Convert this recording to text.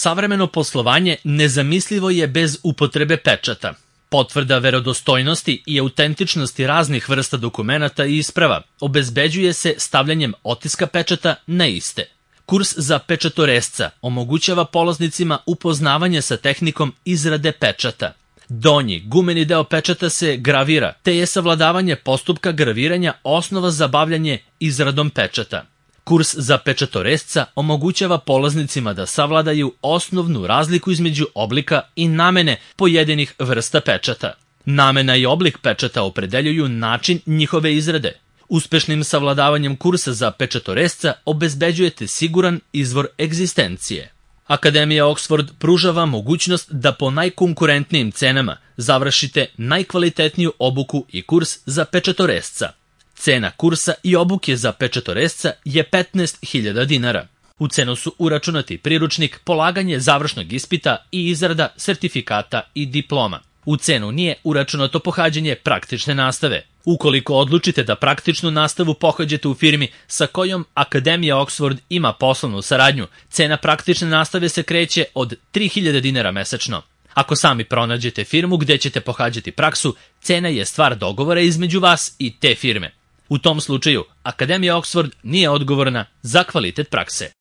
Savremeno poslovanje nezamislivo je bez upotrebe pečata. Potvrda verodostojnosti i autentičnosti raznih vrsta dokumenata i isprava obezbeđuje se stavljanjem otiska pečata na iste. Kurs za pečatoresca omogućava polaznicima upoznavanje sa tehnikom izrade pečata. Donji gumeni deo pečata se gravira, te je savladavanje postupka graviranja osnova za bavljanje izradom pečata. Kurs za pečatoresca omogućava polaznicima da savladaju osnovnu razliku između oblika i namene pojedinih vrsta pečata. Namena i oblik pečata opredeljuju način njihove izrade. Uspešnim savladavanjem kursa za pečatoresca obezbeđujete siguran izvor egzistencije. Akademija Oxford pruža vam mogućnost da po najkonkurentnijim cenama završite najkvalitetniju obuku i kurs za pečatoresca. Cena kursa i obuke za pečatoresca je 15.000 dinara. U cenu su uračunati priručnik, polaganje završnog ispita i izrada sertifikata i diploma. U cenu nije uračunato pohađanje praktične nastave. Ukoliko odlučite da praktičnu nastavu pohađate u firmi sa kojom Akademija Oxford ima poslovnu saradnju, cena praktične nastave se kreće od 3.000 dinara mesečno. Ako sami pronađete firmu gde ćete pohađati praksu, cena je stvar dogovora između vas i te firme. U tom slučaju, Akademija Oxford nije odgovorna za kvalitet prakse.